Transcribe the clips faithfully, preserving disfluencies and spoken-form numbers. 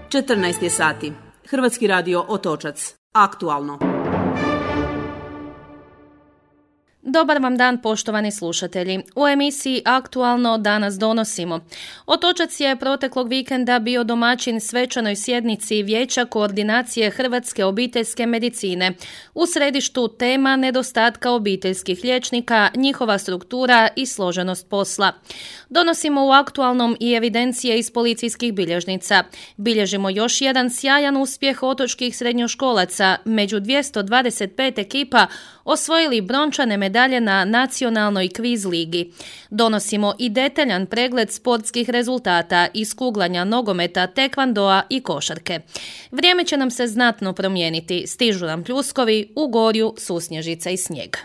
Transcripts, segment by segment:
četrnaest je sati. Hrvatski radio Otočac. Aktualno. Dobar vam dan, poštovani slušatelji. U emisiji Aktualno danas donosimo. Otočac je proteklog vikenda bio domaćin svečanoj sjednici Vijeća koordinacije hrvatske obiteljske medicine. U središtu tema nedostatka obiteljskih liječnika, njihova struktura i složenost posla. Donosimo u Aktualnom i evidencije iz policijskih bilježnica. Bilježimo još jedan sjajan uspjeh otočkih srednjoškolaca. Među dvjesto dvadeset pet ekipa osvojili brončane medalje na nacionalnoj kviz ligi. Donosimo i detaljan pregled sportskih rezultata iz kuglanja, nogometa, tekvandoa i košarke. Vrijeme će nam se znatno promijeniti. Stižu nam pljuskovi, u gorju susnježica i snijeg.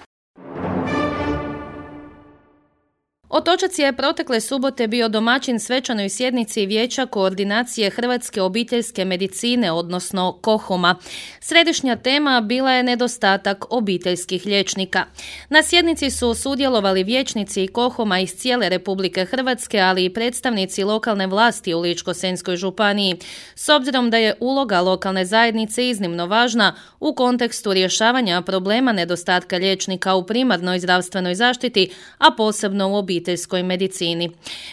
Otočac je protekle subote bio domaćin svečanoj sjednici Vijeća koordinacije hrvatske obiteljske medicine, odnosno KOHOM-a. Središnja tema bila je nedostatak obiteljskih liječnika. Na sjednici su sudjelovali vijećnici KOHOM-a iz cijele Republike Hrvatske, ali i predstavnici lokalne vlasti u Ličko-senjskoj županiji. S obzirom da je uloga lokalne zajednice iznimno važna u kontekstu rješavanja problema nedostatka liječnika u primarnoj zdravstvenoj zaštiti, a posebno u obiteljskoj obiteljskoj medicini.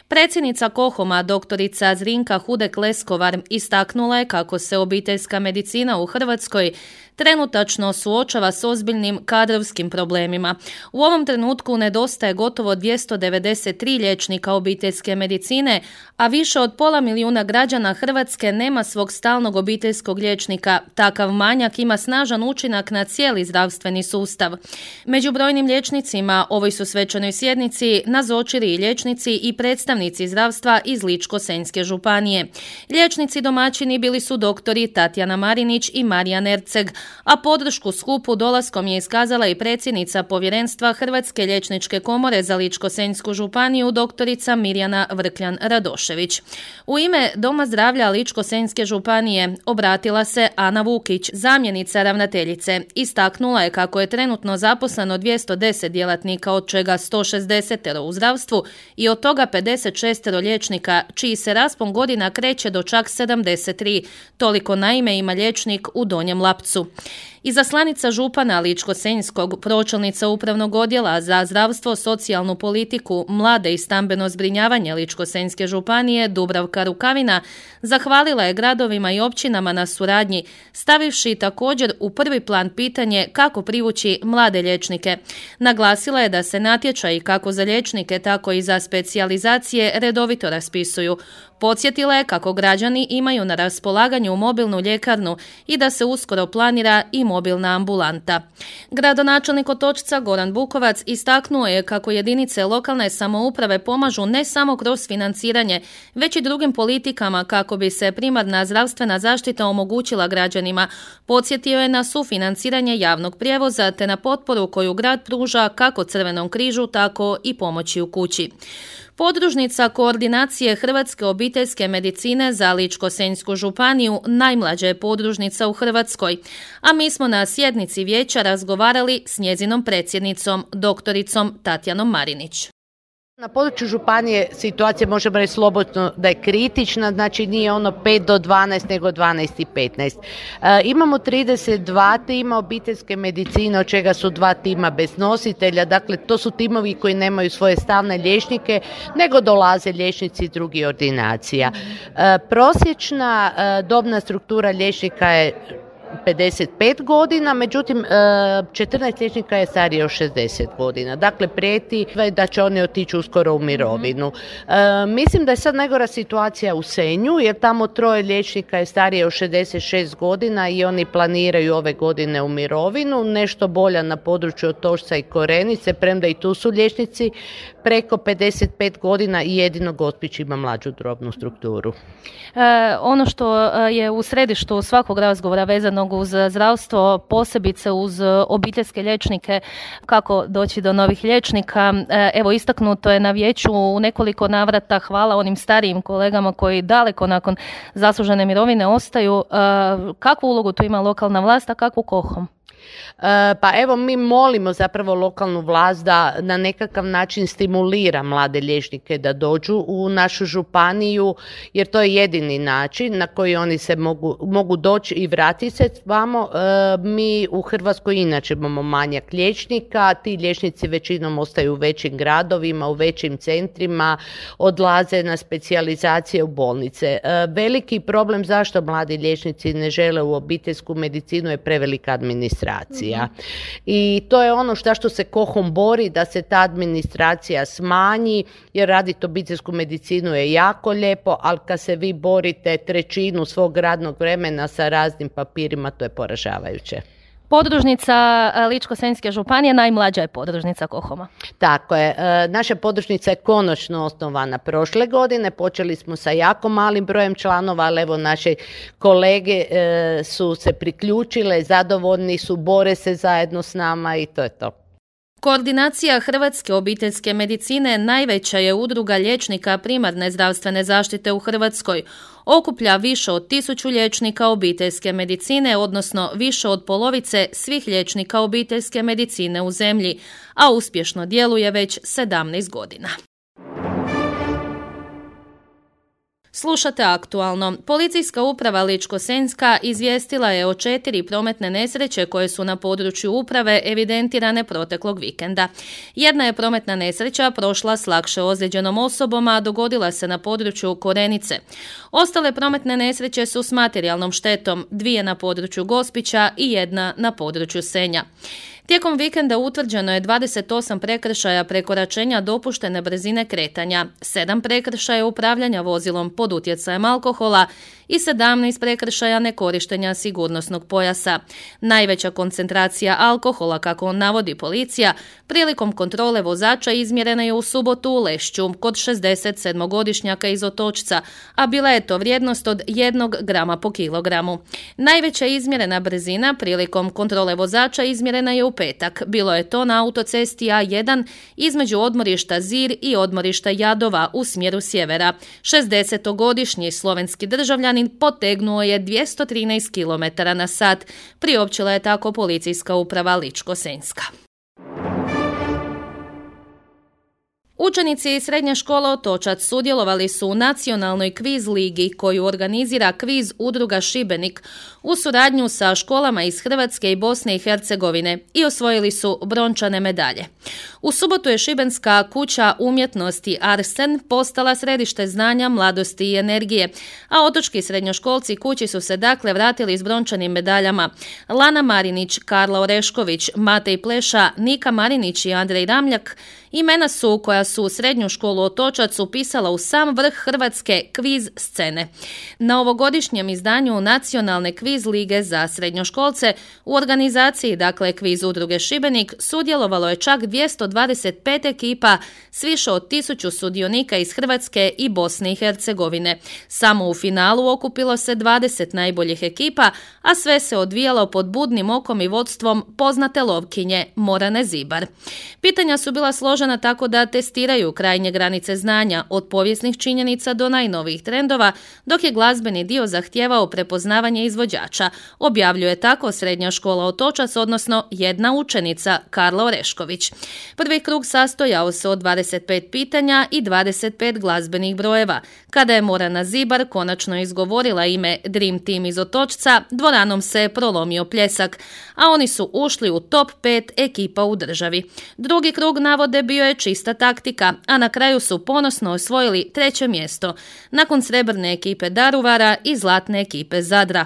Predsjednica KOHOM-a doktorica Zrinka Hudek-Leskovar istaknula je kako se obiteljska medicina u Hrvatskoj trenutačno suočava s ozbiljnim kadrovskim problemima. U ovom trenutku nedostaje gotovo dvjesto devedeset tri liječnika obiteljske medicine, a više od pola milijuna građana Hrvatske nema svog stalnog obiteljskog liječnika. Takav manjak ima snažan učinak na cijeli zdravstveni sustav. Među brojnim liječnicima ovoj su svečanoj sjednici nazočili i liječnici i predstavnici zdravstva iz Ličko-senjske županije. Liječnici domaćini bili su doktori Tatjana Marinić i Marijan Erceg, a podršku skupu dolaskom je iskazala i predsjednica povjerenstva Hrvatske liječničke komore za Ličko-senjsku županiju doktorica Mirjana Vrkljan-Radošević. U ime Doma zdravlja Ličko-senjske županije obratila se Ana Vukić, zamjenica ravnateljice. Istaknula je kako je trenutno zaposleno dvjesto deset djelatnika, od čega sto šezdeset u zdravstvu i od toga pedeset šest liječnika, čiji se raspon godina kreće do čak sedamdeset tri. Toliko naime ima liječnik u Donjem Lapcu. Izaslanica župana Ličko-senjskog, pročelnica upravnog odjela za zdravstvo, socijalnu politiku, mlade i stambeno zbrinjavanje Ličko-senjske županije Dubravka Rukavina zahvalila je gradovima i općinama na suradnji, stavivši također u prvi plan pitanje kako privući mlade liječnike. Naglasila je da se natječaji kako za liječnike, tako i za specijalizacije redovito raspisuju. Podsjetila je kako građani imaju na raspolaganju mobilnu ljekarnu i da se uskoro planira i mobilna ambulanta. Gradonačelnik Otočca Goran Bukovac istaknuo je kako jedinice lokalne samouprave pomažu ne samo kroz financiranje, već i drugim politikama kako bi se primarna zdravstvena zaštita omogućila građanima. Podsjetio je na sufinanciranje javnog prijevoza te na potporu koju grad pruža kako Crvenom križu, tako i pomoći u kući. Podružnica koordinacije hrvatske obiteljske medicine za Ličko-senjsku županiju najmlađa je podružnica u Hrvatskoj, a mi smo na sjednici vijeća razgovarali s njezinom predsjednicom, doktoricom Tatjanom Marinić. Na području županije situacija možemo reći slobodno da je kritična, znači nije ono pet do dvanaest nego dvanaest i petnaest. E, imamo trideset dva tima obiteljske medicine, od čega su dva tima bez nositelja, dakle to su timovi koji nemaju svoje stalne liječnike, nego dolaze liječnici iz drugih ordinacija. E, prosječna e, dobna struktura liječnika je pedeset pet godina, međutim četrnaest liječnika je starije od šezdeset godina. Dakle, prijeti da će oni otići uskoro u mirovinu. E, mislim da je sad najgora situacija u Senju, jer tamo troje liječnika je starije od šezdeset šest godina i oni planiraju ove godine u mirovinu. Nešto bolja na području Otočca i Korenice, premda i tu su liječnici preko pedeset pet godina i jedino Gospić ima mlađu drobnu strukturu. E, ono što je u središtu svakog razgovora vezano uz zdravstvo, posebice uz obiteljske liječnike, kako doći do novih liječnika. Evo, istaknuto je na vijeću u nekoliko navrata hvala onim starijim kolegama koji daleko nakon zaslužene mirovine ostaju. Kakvu ulogu tu ima lokalna vlast, a kakvu KOHOM? Pa evo, mi molimo zapravo lokalnu vlast da na nekakav način stimulira mlade liječnike da dođu u našu županiju, jer to je jedini način na koji oni se mogu, mogu doći i vratiti se vamo. Mi u Hrvatskoj inače imamo manjak liječnika, ti liječnici većinom ostaju u većim gradovima, u većim centrima, odlaze na specijalizacije u bolnice. Veliki problem zašto mladi liječnici ne žele u obiteljsku medicinu je prevelika administracija. I to je ono što, što se KOHOM bori, da se ta administracija smanji, jer raditi obiteljsku medicinu je jako lijepo, ali kad se vi borite trećinu svog radnog vremena sa raznim papirima, to je poražavajuće. Podružnica Ličko-senjske županije, najmlađa je podružnica KOHOM-a. Tako je. Naša podružnica je konačno osnovana prošle godine. Počeli smo sa jako malim brojem članova, ali evo naše kolege su se priključile, zadovoljni su, bore se zajedno s nama i to je to. Koordinacija Hrvatske obiteljske medicine najveća je udruga liječnika primarne zdravstvene zaštite u Hrvatskoj. Okuplja više od tisuću liječnika obiteljske medicine, odnosno više od polovice svih liječnika obiteljske medicine u zemlji, a uspješno djeluje već sedamnaest godina. Slušate aktualno. Policijska uprava Ličko-senjska izvijestila je o četiri prometne nesreće koje su na području uprave evidentirane proteklog vikenda. Jedna je prometna nesreća prošla s lakše ozlijeđenom osobom, a dogodila se na području Korenice. Ostale prometne nesreće su s materijalnom štetom, dvije na području Gospića i jedna na području Senja. Tijekom vikenda utvrđeno je dvadeset osam prekršaja prekoračenja dopuštene brzine kretanja, sedam prekršaja upravljanja vozilom pod utjecajem alkohola i sedamnaest prekršaja nekorištenja sigurnosnog pojasa. Najveća koncentracija alkohola, kako navodi policija, prilikom kontrole vozača izmjerena je u subotu u Lešću kod šezdeset sedmogodišnjaka iz Otočca, a bila je to vrijednost od jednog grama po kilogramu. Najveća izmjerena brzina prilikom kontrole vozača izmjerena je u petak. Bilo je to na autocesti A jedan između odmorišta Zir i odmorišta Jadova u smjeru sjevera. šezdesetogodišnji slovenski državljanin potegnuo je dvjesto trinaest kilometara na sat, priopćila je tako policijska uprava Ličko-senjska. Učenici iz srednje škole Otočac sudjelovali su u nacionalnoj kviz ligi koju organizira kviz udruga Šibenik u suradnju sa školama iz Hrvatske i Bosne i Hercegovine i osvojili su brončane medalje. U subotu je šibenska kuća umjetnosti Arsen postala središte znanja, mladosti i energije, a otočki srednjoškolci kući su se dakle vratili s brončanim medaljama. Lana Marinić, Karla Orešković, Matej Pleša, Nika Marinić i Andrej Ramljak imena su koja su srednju školu Otočac upisala u sam vrh hrvatske kviz scene. Na ovogodišnjem izdanju Nacionalne kviz lige za srednjoškolce u organizaciji, dakle kviz udruge Šibenik, sudjelovalo je čak dvjesto dvadeset pet ekipa s više od tisuću sudionika iz Hrvatske i Bosne i Hercegovine. Samo u finalu okupilo se dvadeset najboljih ekipa, a sve se odvijalo pod budnim okom i vodstvom poznate lovkinje Morane Zibar. Pitanja su bila složena tako da testiraju krajnje granice znanja, od povijesnih činjenica do najnovijih trendova, dok je glazbeni dio zahtijevao prepoznavanje izvođača, objavljuje tako srednja škola Otočac, odnosno jedna učenica, Karla Orešković. Prvi krug sastojao se od dvadeset pet pitanja i dvadeset pet glazbenih brojeva. Kada je Morana Zibar konačno izgovorila ime Dream Team iz Otočca, dvoranom se prolomio pljesak, a oni su ušli u top pet ekipa u državi. Drugi krug navode bio je čista taktika, a na kraju su ponosno osvojili treće mjesto, nakon srebrne ekipe Daruvara i zlatne ekipe Zadra.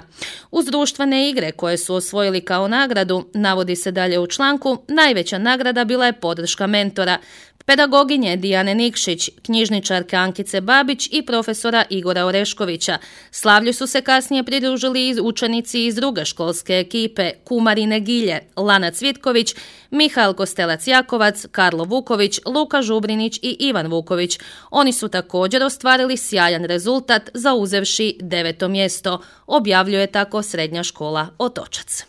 Uz društvene igre koje su osvojili kao nagradu, navodi se dalje u članku, najveća nagrada bila je podrška mentora, pedagoginje Dijane Nikšić, knjižničarke Ankice Babić i profesora Igora Oreškovića. Slavlju su se kasnije pridružili i učenici iz druge školske ekipe, Kumarine Gilje, Lana Cvitković, Mihael Kostelac-Jakovac, Karlo Vuković, Luka Žubrinić i Ivan Vuković. Oni su također ostvarili sjajan rezultat, zauzevši deveto mjesto, objavljuje tako srednja škola Otočac.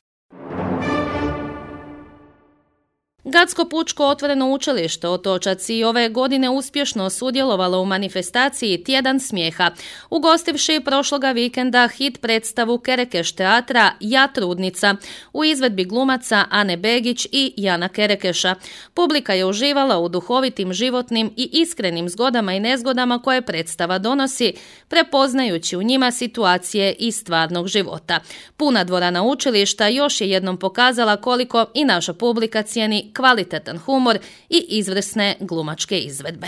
Gacko pučko otvoreno učilište Otočac i ove godine uspješno sudjelovalo u manifestaciji Tjedan smijeha, ugostivši prošloga vikenda hit predstavu Kerekeš teatra Ja trudnica u izvedbi glumaca Ane Begić i Jana Kerekeša. Publika je uživala u duhovitim, životnim i iskrenim zgodama i nezgodama koje predstava donosi, prepoznajući u njima situacije iz stvarnog života. Puna dvorana učilišta još je jednom pokazala koliko i naša publika cijeni kvalitetan humor i izvrsne glumačke izvedbe.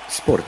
Sport.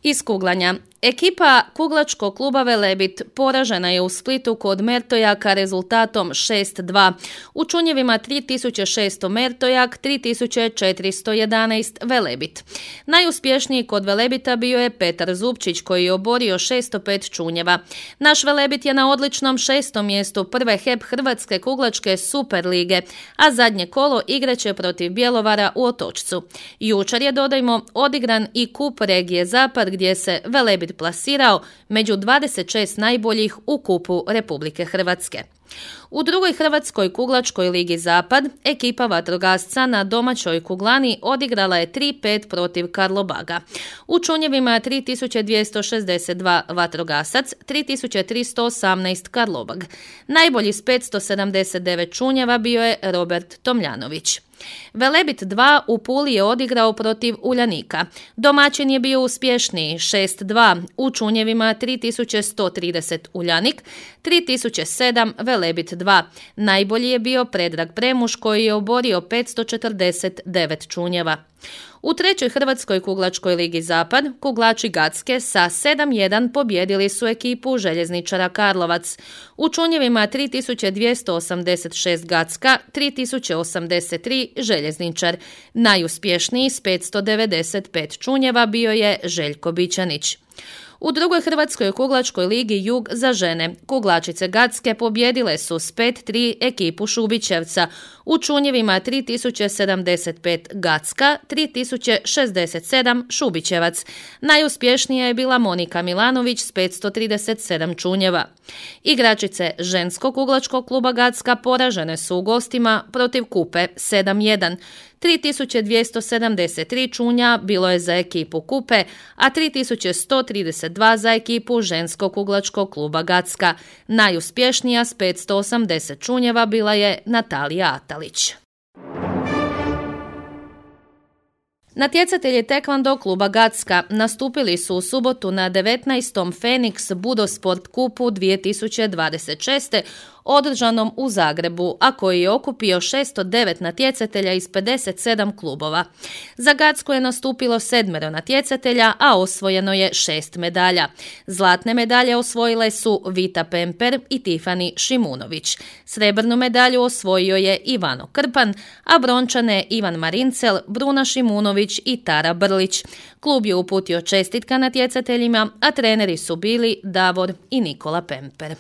Iz kuglanja. Ekipa kuglačkog kluba Velebit poražena je u Splitu kod Mertojaka rezultatom šest dva. U čunjevima tri tisuće šesto Mertojak, tri tisuće četiristo jedanaest Velebit. Najuspješniji kod Velebita bio je Petar Zupčić koji je oborio šesto pet čunjeva. Naš Velebit je na odličnom šestom mjestu prve H E P Hrvatske kuglačke Super lige, a zadnje kolo igraće protiv Bjelovara u Otočcu. Jučer je, dodajmo, odigran i kup regije Zapad gdje se Velebit plasirao među dvadeset šest najboljih u kupu Republike Hrvatske. U drugoj Hrvatskoj kuglačkoj ligi Zapad ekipa vatrogasca na domaćoj kuglani odigrala je tri pet protiv Karlobaga. U čunjevima tri tisuće dvjesto šezdeset dva vatrogasac, tri tisuće tristo osamnaest Karlobag. Najbolji s petsto sedamdeset devet čunjeva bio je Robert Tomljanović. Velebit dva u Puli je odigrao protiv Uljanika. Domaćin je bio uspješniji šest dva, u čunjevima tri tisuće sto trideset Uljanik, tri tisuće sedam Velebit dva. Najbolji je bio Predrag Premuš koji je oborio petsto četrdeset devet čunjeva. U trećoj Hrvatskoj kuglačkoj ligi Zapad kuglači Gacke sa sedam jedan pobjedili su ekipu Željezničara Karlovac. U čunjevima tri tisuće dvjesto osamdeset šest Gacka, tri tisuće osamdeset tri Željezničar. Najuspješniji s petsto devedeset pet čunjeva bio je Željko Bićanić. U drugoj Hrvatskoj kuglačkoj ligi Jug za žene kuglačice Gacke pobjedile su s pet tri ekipu Šubićevca. U čunjevima tri tisuće sedamdeset pet Gacka, tri tisuće šezdeset sedam Šubićevac. Najuspješnija je bila Monika Milanović s petsto trideset sedam čunjeva. Igračice ženskog kuglačkog kluba Gacka poražene su u gostima protiv Kupe sedam jedan. tri tisuće dvjesto sedamdeset tri čunja bilo je za ekipu Kupe, a tri tisuće sto trideset dva za ekipu ženskog kuglačkog kluba Gacka. Najuspješnija s petsto osamdeset čunjeva bila je Natalija Atalić. Natjecatelji tekvando kluba Gacka nastupili su u subotu na devetnaestom Phoenix Budosport kupu dvije tisuće dvadeset šeste održanom u Zagrebu, a koji je okupio šesto devet natjecatelja iz pedeset sedam klubova. Za Gacku je nastupilo sedmero natjecatelja, a osvojeno je šest medalja. Zlatne medalje osvojile su Vita Pemper i Tifani Šimunović. Srebrnu medalju osvojio je Ivano Krpan, a brončane Ivan Marincel, Bruna Šimunović i Tara Brlić. Klub je uputio čestitka natjecateljima, a treneri su bili Davor i Nikola Pemper.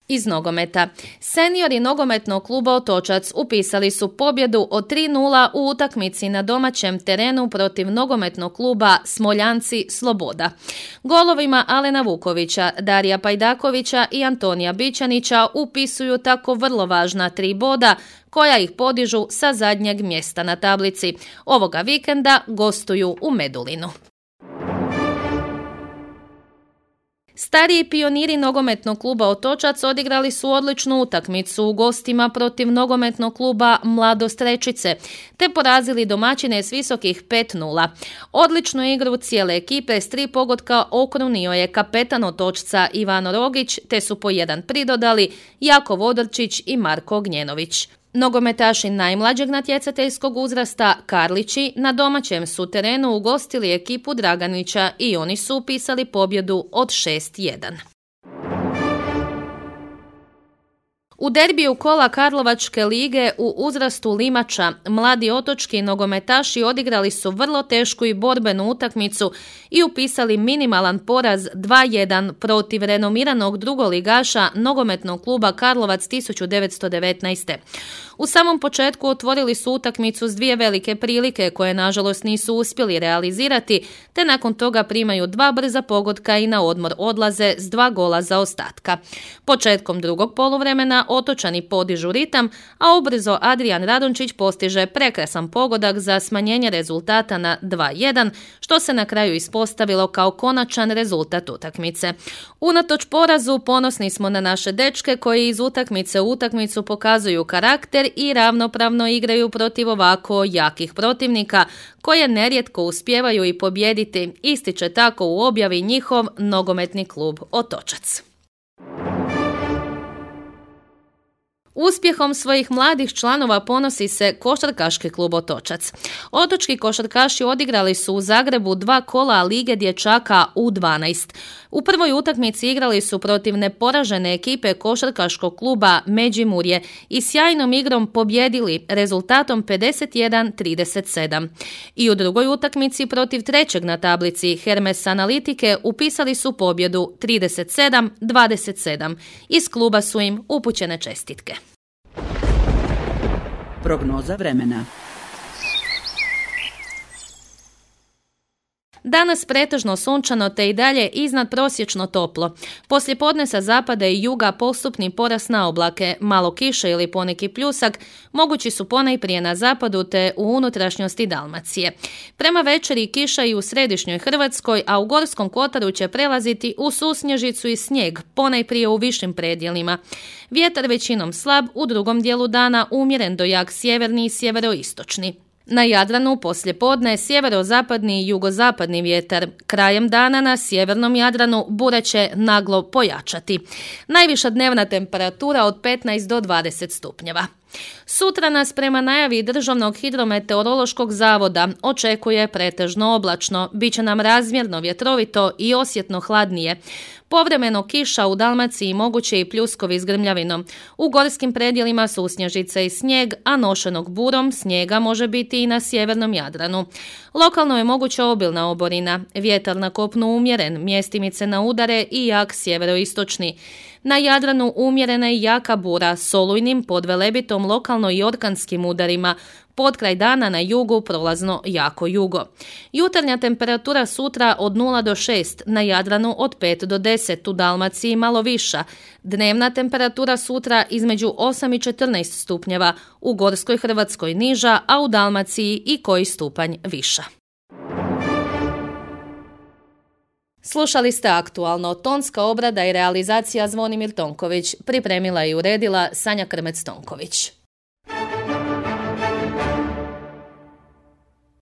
Iz nogometa. Seniori nogometnog kluba Otočac upisali su pobjedu od tri nula u utakmici na domaćem terenu protiv nogometnog kluba Smoljanci Sloboda. Golovima Alena Vukovića, Darija Pajdakovića i Antonija Bićanića upisuju tako vrlo važna tri boda koja ih podižu sa zadnjeg mjesta na tablici. Ovoga vikenda gostuju u Medulinu. Stariji pioniri nogometnog kluba Otočac odigrali su odličnu utakmicu u gostima protiv nogometnog kluba Mladost Rečice, te porazili domaćine s visokih pet nula. Odličnu igru cijele ekipe s tri pogotka okrunio je kapetan Otočca Ivano Rogić, te su po jedan pridodali Jako Vodorčić i Marko Gnjenović. Nogometaši najmlađeg natjecateljskog uzrasta Karlići na domaćem su terenu ugostili ekipu Draganića i oni su upisali pobjedu od šest jedan. U derbiju kola Karlovačke lige u uzrastu limača mladi otočki nogometaši odigrali su vrlo tešku i borbenu utakmicu i upisali minimalan poraz dva jedan protiv renomiranog drugoligaša nogometnog kluba Karlovac tisuću devetsto devetnaeste. U samom početku otvorili su utakmicu s dvije velike prilike koje nažalost nisu uspjeli realizirati, te nakon toga primaju dva brza pogotka i na odmor odlaze s dva gola zaostatka. Početkom drugog poluvremena Otočani podižu ritam, a ubrzo Adrijan Radončić postiže prekrasan pogodak za smanjenje rezultata na dva jedan, što se na kraju ispostavilo kao konačan rezultat utakmice. Unatoč porazu ponosni smo na naše dečke koji iz utakmice u utakmicu pokazuju karakter i ravnopravno igraju protiv ovako jakih protivnika, koje nerijetko uspijevaju i pobijediti, ističe tako u objavi njihov nogometni klub Otočac. Uspjehom svojih mladih članova ponosi se košarkaški klub Otočac. Otočki košarkaši odigrali su u Zagrebu dva kola Lige dječaka U dvanaest. U prvoj utakmici igrali su protiv neporažene ekipe košarkaškog kluba Međimurje i sjajnom igrom pobjedili rezultatom pedeset jedan trideset sedam. I u drugoj utakmici protiv trećeg na tablici Hermes Analitike upisali su pobjedu trideset sedam dvadeset sedam. Iz kluba su im upućene čestitke. Prognoza vremena. Danas pretežno sunčano te i dalje iznad prosječno toplo. Poslijepodne sa zapada i juga postupni porast na oblake, malo kiše ili poneki pljusak, mogući su ponajprije na zapadu te u unutrašnjosti Dalmacije. Prema večeri kiša i u središnjoj Hrvatskoj, a u Gorskom kotaru će prelaziti u susnježicu i snijeg, ponajprije u višim predjelima. Vjetar većinom slab, u drugom dijelu dana umjeren do jak sjeverni i sjeveroistočni. Na Jadranu poslijepodne sjeverozapadni i jugozapadni vjetar. Krajem dana na sjevernom Jadranu bura će naglo pojačati. Najviša dnevna temperatura od petnaest do dvadeset stupnjeva. Sutra nas prema najavi Državnog hidrometeorološkog zavoda očekuje pretežno oblačno, bit će nam razmjerno vjetrovito i osjetno hladnije. Povremeno kiša u Dalmaciji, moguće i pljuskovi s grmljavinom. U gorskim predjelima susnježice i snijeg, a nošenog burom snijega može biti i na sjevernom Jadranu. Lokalno je moguća obilna oborina, vjetar na kopnu umjeren, mjestimice na udare i jak sjeveroistočni. Na Jadranu umjerena i jaka bura s olujnim pod Velebitom lokalno i orkanskim udarima. Potkraj dana na jugu prolazno jako jugo. Jutarnja temperatura sutra od nula do šest, na Jadranu od pet do deset, u Dalmaciji malo viša. Dnevna temperatura sutra između osam i četrnaest stupnjeva, u Gorskoj Hrvatskoj niža, a u Dalmaciji i koji stupanj viša. Slušali ste aktualno, tonska obrada i realizacija Zvonimir Tonković, pripremila i uredila Sanja Krmec-Tonković.